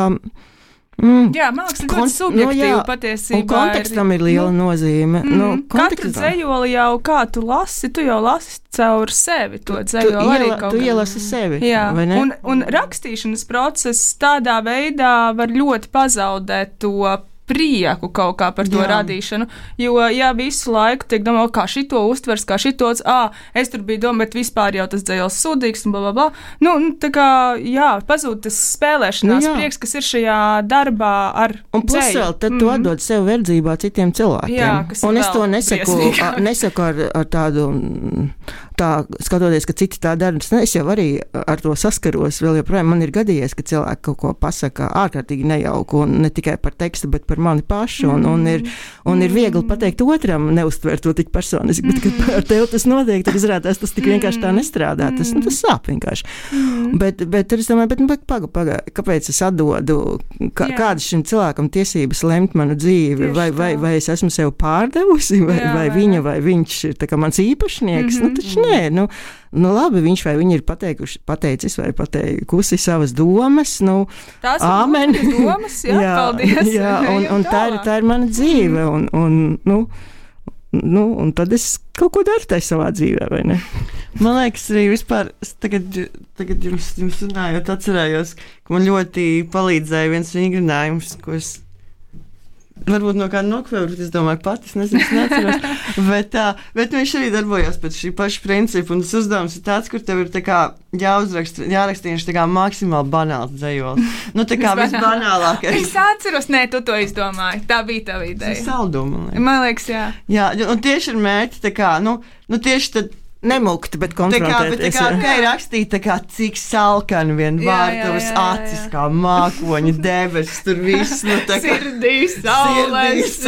jā, man liekas, ļoti subjektīvi patiesībā. Un kontekstam ir liela nozīme. Katru dzejoli jau kā tu lasi, tu jau lasi caur sevi to dzejoli arī kaut kā. Tu ielasi sevi, vai ne? Un rakstīšanas process tādā veidā var ļoti pazaudēt to prieku kaut kā par to radīšanu, jo, visu laiku tiek domā, kā šito uztvers, kā šitos, es tur biju domā, bet vispār jau tas dzējos sūdīgs un blablabla. Tā kā, pazūd tas spēlēšanās prieks, kas ir šajā darbā ar un plus vēl, tad tu atdod sev verdzībā citiem cilvēkiem. Jā, kas un es to nesaku ar tādu, tā skatoties, ka citi tā dara, es jau arī ar to saskaros, vēl joprojām man ir gadījies, ka cilvēki kaut ko pasaka ārkārtīgi nejauku, un ne tikai par tekstu, bet par mani pašu, un ir viegli pateikt otram, neuztvert to tik personiski, bet, kad ar tevi tas notiek, tad izrādās, tas tik vienkārši tā nestrādā, tas sāp vienkārši. Bet tad es domāju, paga, kāpēc es atdodu, kādas šim cilvēkam tiesības lemt manu dzīvi, vai es esmu sev pārdevusi, vai viņa, vai viņš ir tā kā mans īpašnieks, taču nē, labi, viņš vai viņi ir pateicis vai pateikusi savas domas, tās āmen. Ir domas, paldies. Jā, un tā ir mana dzīve, un tad es kaut ko daru tai savā dzīvē, vai ne? Man liekas, arī vispār, tagad jums runājot, atcerējos, ka man ļoti palīdzēja viens vingrinājums, ko es varbūt no kāda nokvēru, bet es domāju, es neatceros. bet viņš arī darbojās pēc šī paša principa, un tas uzdevums ir tāds, kur tev ir tā kā jāraksta tā kā maksimāli banāls dzējols. Tā kā visbanālākais. Es atceros, tu to izdomāji. Tā bija tava ideja. Tas ir salduma, man liekas, jā. Jā, un tieši ar mērķi, tā kā, tieši tad nemukti, bet konfrontēties. Tā kā rakstīt, cik salkani vien vārtavas acis, kā mākoņa debesis, tur viss, sirdīs, saules.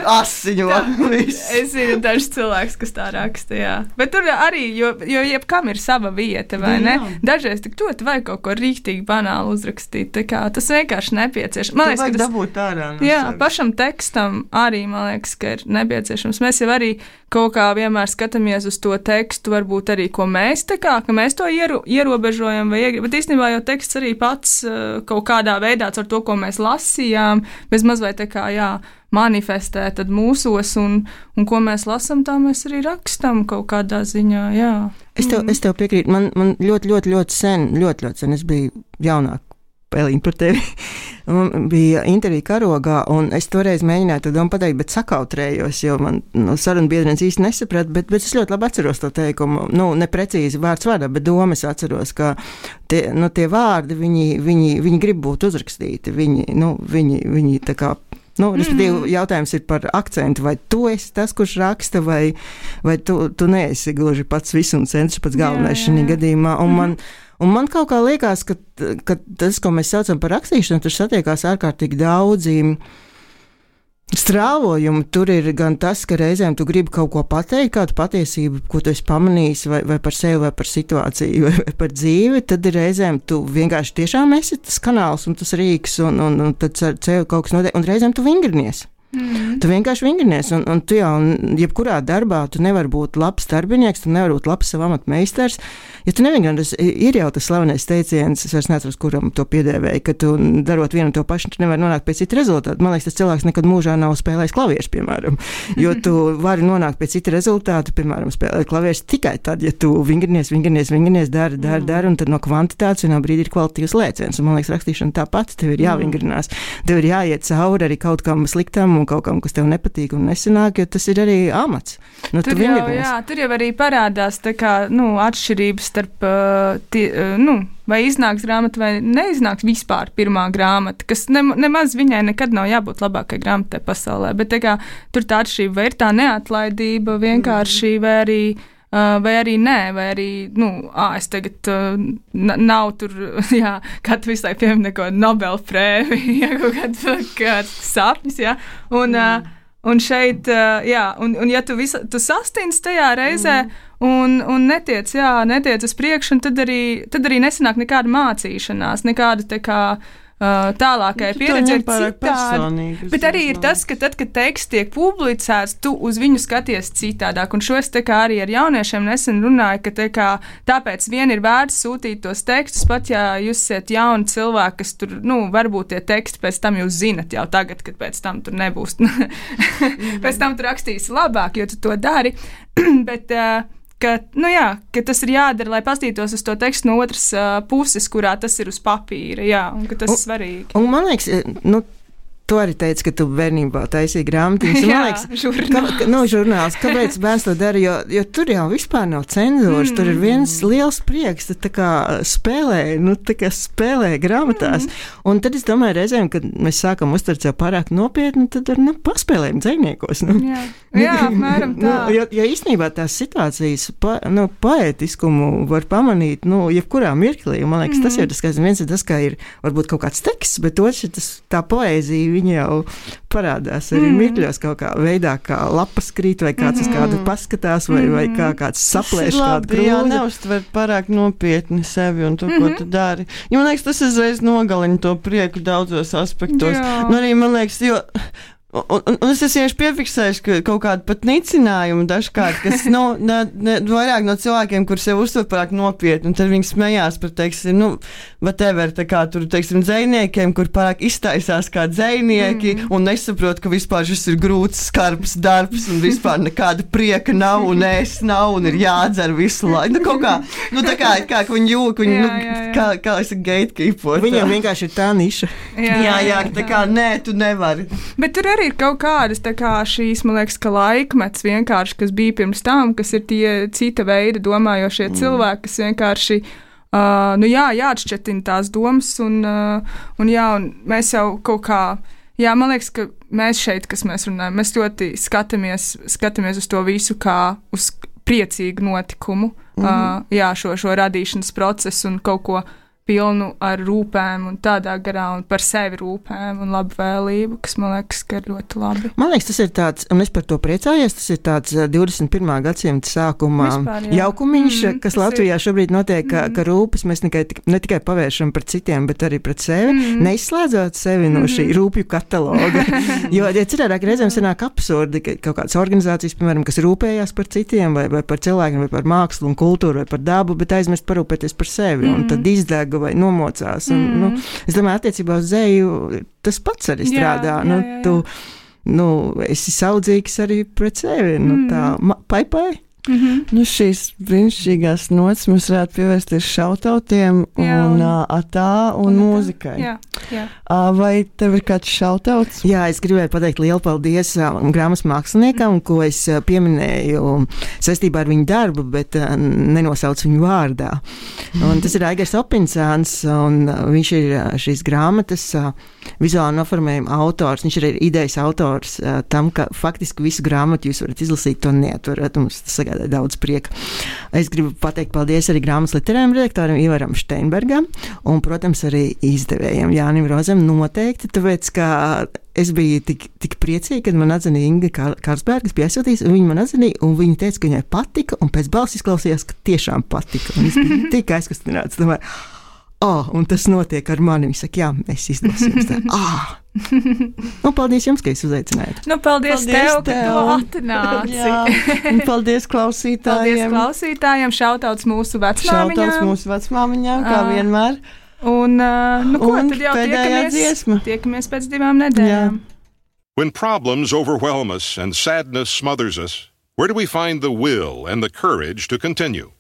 Asiņo, viss. Es zinu dažs cilvēks, kas tā raksta, jā. Bet tur arī, jo jebkam ir sava vieta, vai ne? Dažreiz tik ļoti vajag kaut ko rīktīgi banāli uzrakstīt, tā kā tas vienkārši nepieciešams. Man liekas, ka dabūt ārā. Pašam tekstam arī, man liekas, ka ir nepieciešams. Mēs jau arī kaut kā vienmēr skatāmies uz to tekstu, varbūt arī, ko mēs ka mēs to ierobežojam, bet īstenībā jau teksts arī pats kaut kādā veidā ar to, ko mēs lasījām, bez mazliet manifestē tad mūsos, un ko mēs lasām, tā mēs arī rakstam kaut kādā ziņā, jā. Es tev piekrītu, man ļoti sen, es biju jaunāk, Pēliņ par tevi. Man bija intervija Karogā, un es toreiz mēģināju to domu pateikt, bet sakautrējos, jo man saruna biedrienes īsti nesaprata, bet es ļoti labi atceros to teikumu. Neprecīzi vārds vārdā, bet domas atceros, ka tie vārdi, viņi grib būt uzrakstīti. Viņi tā kā, respektīvi, jautājums ir par akcentu, vai tu esi tas, kurš raksta, vai tu neesi gluži pats visu un centrs pats galvenais šajā gadījumā, un man kaut kā liekas, ka tas, ko mēs saucam par rakstīšanu, tur satiekās ārkārtīgi daudzi strāvojumi. Tur ir gan tas, ka reizēm tu gribi kaut ko pateikt, kādu patiesību, ko tu esi pamanījis, vai par sevi, vai par situāciju, vai par dzīvi, tad ir reizēm tu vienkārši tiešām esi tas kanāls un tas rīks, un tad ar sevi kaut kas notiek, un reizēm tu vingrinies. Tu vienkārši vingrinies, un tu jau, jebkurā darbā, tu nevari būt labs darbinieks, tu nevari būt labs savu amatu meistars. Ja tu nevingrinās, ir jau tas slavenais teiciens, es vairs neatceros, kuram to piedēvēja, ka tu darot vienu to pašu, tu nevari nonākt pie cita rezultāta. Man liekas, tas cilvēks nekad mūžā nav spēlējis klavierus, piemēram, jo tu vari nonākt pie cita rezultāta, piemēram, spēlēt klavierus tikai tad, ja tu vingrinies, dari, un tad no kvantitātes vienā brīdī ir kvalitatīvs lēciens. Un man liekas, rakstīšana tāpat, tev ir jāvingrinās, tev ir jāiet cauri arī kaut kam sliktam un kaut kam, kas tev nepatīk un nesanāk, jo tas ir arī amats. Tur jau arī parādās tā kā, atšķirības starp, vai iznāks grāmata vai neiznāks vispār pirmā grāmata, kas nemaz viņai nekad nav jābūt labākai grāmatai pasaulē, bet tā kā tur tā atšķirība vai ir tā neatlaidība vienkārši, vai arī nē, vai arī, es tagad nav tur, kā tu visai piemini kaut kādu Nobel prēmiju, kaut kāds sapnis, un šeit, un ja tu sastinsi tajā reizē, un netiec uz priekšu, un tad arī nesanāk nekāda mācīšanās, nekāda tā kā tālākai pieredze ir citāda. Bet arī ir tas, ka tad, kad teksts tiek publicēts, tu uz viņu skaties citādāk. Un šo es tā kā arī ar jauniešiem nesen runāju, ka tā kā tāpēc vien ir vērts sūtīt tos tekstus, pat ja jūs esat jauni cilvēki, kas tur, varbūt tie teksti pēc tam jūs zinat jau tagad, kad pēc tam tur nebūs. Pēc tam tu rakstīsi labāk, jo tu to dari. Bet ka tas ir jādara, lai pastītos uz to tekstu no otras puses, kurā tas ir uz papīra, un ka tas ir svarīgi. Un man liekas, tu arī teici, ka tu bērnībā taisīji grāmatiņas. Man liekas, žurnāls. Kāpēc bērns to dara? Jo tur jau vispār nav cenzūras, tur ir viens liels prieks, tu tā kā spēlē grāmatās. Un tad es domāju reizēm, kad mēs sākam uztvert sev pārāk nopietni, tad paspēlējam dzejniekos. Jā, apmēram tā. Jo īstenībā tās situācijas poētiskumu var pamanīt, jebkurā mirklī. Man liekas, tas ir tas, ka viens ir tas, ka ir varbūt kaut kāds teksts, bet otrs ir tā poēzija, viņa jau parādās arī mirkļos kaut kā veidā, kā lapas krīt, vai kāds uz kādu paskatās, vai kāds saplēš kādu krūzi. Jā, neuztver pārāk nopietni sevi un to, ko tu dari. Jo, man liekas, tas uzreiz nogalina to prieku daudzos aspektos. Arī, man liekas, Un es esmu piefiksējis, ka kaut kāda pat nicinājuma dažkārt, kas vairāk no cilvēkiem, kur sev uztver pārāk nopietni, un tad viņi smējās par, teiksim, whatever, tā kā tur, teiksim, dzejniekiem, kur pārāk iztaisās kā dzejnieki, un nesaprot, ka vispār šis ir grūts, skarbs darbs, un vispār nekāda prieka nav, un ēst nav, un ir jādzer visu laiku. Kaut kā, tā kā viņi jūk, kā es gatekeepot. Viņam vienkārši ir tā niša. Jā, tā kā, nē, tu nevari. Bet tur arī ir kaut kādas šīs, man liekas, ka laikmets vienkārši, kas bija pirms tam, kas ir tie cita veida domājošie cilvēki, kas vienkārši, jāatšķetina tās domas, un mēs jau kaut kā, man liekas, ka mēs šeit, kas mēs runājam, mēs ļoti skatāmies uz to visu kā uz priecīgu notikumu, šo radīšanas procesu un kaut ko pilnu ar rūpēm un tādā garā un par sevi rūpēm un labvēlību, kas man liekas, ka ir ļoti labi. Man liekas, tas ir tāds, un es par to priecājos, tas ir tāds 21. gadsimta sākuma jaukumiņš, kas Latvijā šobrīd notiek, ka rūpes mēs ne tikai pavēršam par citiem, bet arī pret sevi, neizslēdzot sevi no šī rūpju kataloga. Jo cilvēki reizēm sanāk absurdi, ka kaut kādas organizācijas, piemēram, kas rūpējās par citiem vai par cilvēkiem, vai par mākslu un kultūru vai par dabu, bet aizmirst parūpēties par sevi un tad izdeg vai nomocās. Un, es domāju, attiecībā uz dzeju tas pats arī strādā. Tu esi saudzīgs arī pret sevi. Pai. Šīs brīnišķīgās nots mums varētu pievērsties šautautiem un atā un mūzikai. Jā. Vai tev ir kāds šautauts? Jā, es gribēju pateikt lielu paldies grāmatas māksliniekam, ko es pieminēju saistībā ar viņu darbu, bet nenosaucu viņu vārdā. Un tas ir Aigars Opinsāns, un viņš ir šīs grāmatas vizuāli noformējuma autors. Viņš ir idejas autors tam, ka faktiski visu grāmatu jūs varat izlasīt, to neatvarat. Mums tas sagādā daudz prieka. Es gribu pateikt paldies arī grāmatas literārajam redaktoram Ivaram Steinbergam un, protams, arī izdevējiem Jānim Rozam noteikti, tāpēc, ka es biju tik priecīga, kad man atzina Inga Kārsbergas bija aizsūtījis, un viņa man atzināja, un viņa teica, ka viņai patika, un pēc balss izklausījās, ka tiešām patika. Un es biju tik aizkustināts, domāju, un tas notiek ar mani. Viņa saka, jā, mēs izdosim. Paldies jums, ka jūs uzaicinājāt. Paldies tev, ka tu atnāci. Paldies klausītājiem. Šautauts mūsu vecmāmiņām, kā vienmēr. Un tad jau tiekamies pēc 2 nedēļām. When problems overwhelm us and sadness smothers us, where do we find the will and the courage to continue?